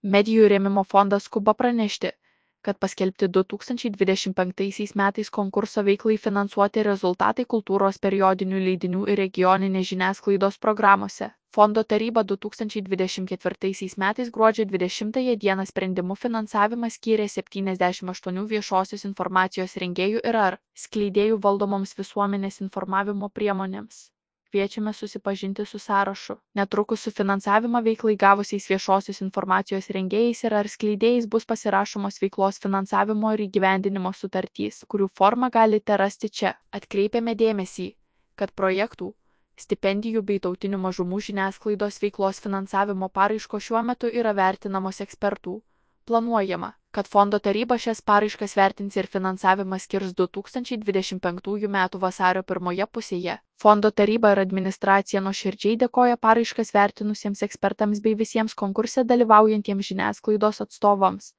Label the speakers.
Speaker 1: Medijų rėmimo fondas skuba pranešti, kad paskelbti 2025 metais konkurso veiklai finansuoti rezultatai kultūros periodinių leidinių ir regioninės žiniasklaidos programuose. Fondo taryba 2024 metais gruodžio 20 dieną sprendimu finansavimą skyrė 78 viešosios informacijos rengėjų ir ar skleidėjų valdomoms visuomenės informavimo priemonėms. Kviečiame susipažinti su sąrašu. Netrukus su finansavimą veiklai gavusiais viešosios informacijos rengėjais ir ar skleidėjais bus pasirašomos veiklos finansavimo ir įgyvendinimo sutartys, kurių formą galite rasti čia. Atkreipiame dėmesį, kad projektų, stipendijų bei tautinių mažumų žiniasklaidos veiklos finansavimo paraiškos šiuo metu yra vertinamos ekspertų. Planuojama, kad fondo taryba šias paraiškas vertins ir finansavimą skirs 2025 m. vasario pirmoje pusėje. Fondo taryba ir administracija nuoširdžiai dėkoja paraiškas vertinusiems ekspertams bei visiems konkurse dalyvaujantiems žiniasklaidos atstovams.